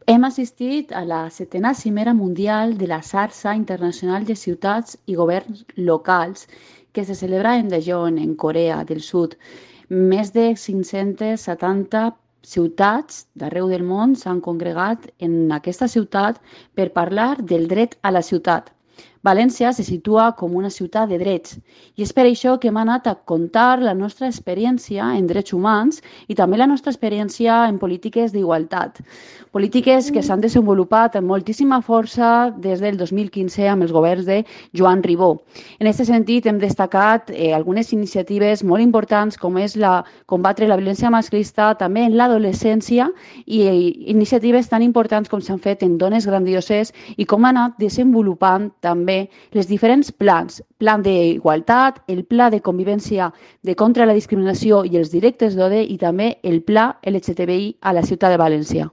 Hem assistit a la setena cimera mundial de la Xarxa Internacional de Ciutats i Governs Locals que se celebra en Daejeon, en Corea del Sud. Més de 570 ciutats d'arreu del món s'han congregat en aquesta ciutat per parlar del dret a la ciutat. València se situa com una ciutat de drets i és per això que hem anat a contar la nostra experiència en drets humans i també la nostra experiència en polítiques d'igualtat. Polítiques que s'han desenvolupat amb moltíssima força des del 2015 amb els governs de Joan Ribó. En aquest sentit, hem destacat algunes iniciatives molt importants com és combatre la violència masclista també en l'adolescència i iniciatives tan importants com s'han fet en dones grandioses i com han anat desenvolupant també les diferents plans, plan d'igualtat, el pla de convivència de contra la discriminació i els directes d'odi i també el pla LGTBI a la ciutat de València.